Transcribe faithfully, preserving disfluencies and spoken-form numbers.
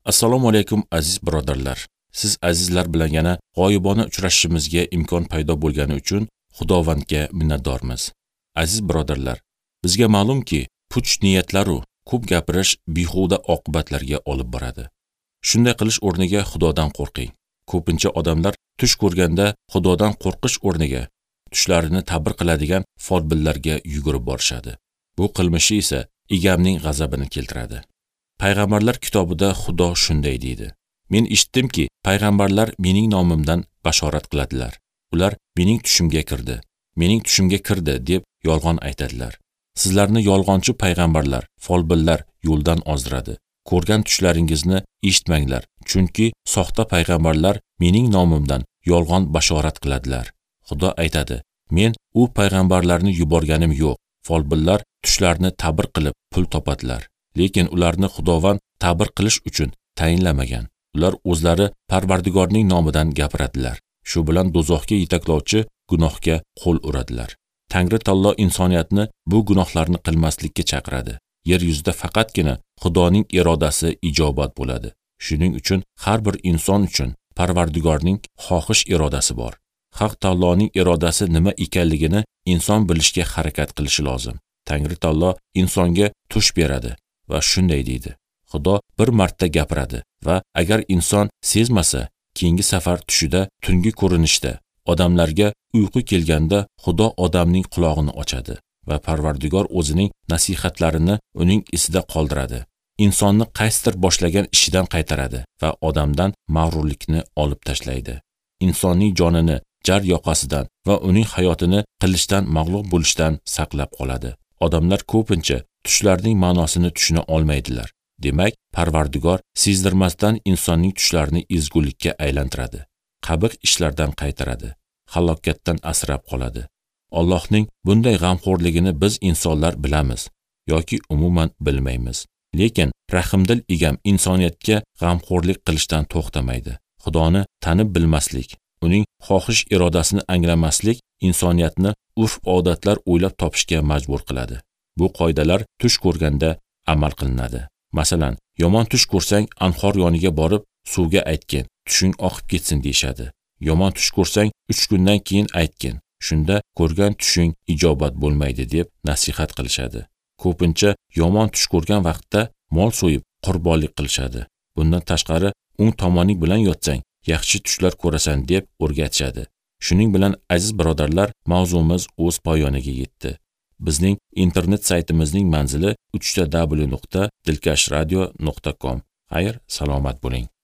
Assalomu alaykum aziz birodarlar. Siz azizlar bilan yana g'oyibona uchrashishimizga imkon paydo bo'lgani uchun Xudovandga minnatdormiz. Aziz birodarlar, bizga ma'lumki, puch niyatlar-u ko'p gapirish behuda oqibatlarga olib boradi. Shunday qilish o'rniga Xudodan qo'rqing. Ko'pincha odamlar tush ko'rganda Xudodan qo'rqish o'rniga tushlarini ta'bir qiladigan folbinlarga yugurib borishadi. Bu qilmishi esa egamning g'azabini keltiradi. Payg'ambarlar kitobida Xudo shunday deydi: Men eshitdimki, payg'ambarlar mening nomimdan bashorat qiladilar. Ular mening tushimga kirdi, mening tushimga kirdi deb yolg'on aytadilar. Sizlarni yolg'onchi payg'ambarlar, folbinlar yo'ldan ozdiradi. Ko'rgan tushlaringizni eshitmanglar, chunki soxta payg'ambarlar mening nomimdan yolg'on bashorat qiladilar. Xudo aytadi: Men u payg'ambarlarni yuborganim yo'q. Folbinlar tushlarni ta'bir qilib pul topadilar. Lekin ularni Xudovand ta'bir qilish uchun tayinlamagan. Ular o'zlari Parvardigorning nomidan gapiradilar. Shu bilan do'zaxga yetaklovchi gunohga qo'l uradilar. Tangri taolo insoniyatni bu gunohlarni qilmaslikka chaqiradi. Yer yuzida faqatgina Xudoning irodasi ijobat bo'ladi. Shuning uchun har bir inson uchun Parvardigorning xohish irodasi bor. Haq taoloning irodasi nima ekanligini inson bilishga harakat qilishi lozim. Tangri taolo insonga tush beradi va shunday deydi: Xudo bir marta gapiradi va agar inson sezmasa, keyingi safar tushida tungi ko'rinishda odamlarga uyqu kelganda Xudo odamning qulog'ini ochadi va Parvardigor o'zining nasihatlarini uning esida qoldiradi. Insonni qaysidir boshlagan ishidan qaytaradi va odamdan mag'rurlikni olib tashlaydi. Insonning jonini jar yoqasidan va uning hayotini qilishdan mag'lub bo'lishdan saqlab qoladi. Odamlar ko'pincha tushlarning ma'nosini tushuna olmaydilar. Demak, Parvardigor sezdirmasdan insonning tushlarini ezgulikka aylantiradi. Qabih ishlardan qaytaradi, halokatdan asrab qoladi. Allohning bunday g'amxo'rligini biz insonlar bilamiz yoki umuman bilmaymiz. Lekin rahimdil egam insoniyatga g'amxo'rlik qilishdan to'xtamaydi. Xudoni tanib bilmaslik, uning xohish irodasini anglamaslik insoniyatni urf-odatlar o'ylab topishga majbur qiladi. Bu qoidalar tush ko'rganda amal qilinadi. Masalan, yomon tush ko'rsang anhor yoniga borib suvga aytgin, tushing oqib ketsin deyshadi. Yomon tush ko'rsang uch kundan keyin aytgin, shunda ko'rgan tushing ijobat bo'lmaydi deb nasihat qilishadi. Ko'pincha yomon tush ko'rgan vaqtda mol so'yib qurbonlik qilishadi. Bundan tashqari o'ng tomoning bilan yotsang yaxshi tushlar ko'rasan deb o'rgatishadi. Shuning bilan aziz birodarlar, mavzumiz o'z poyoniga yetdi. Bizning internet saytimizning manzili uch ta w nuqta dilkash radio nuqta com. Xayr, salomat bo'ling.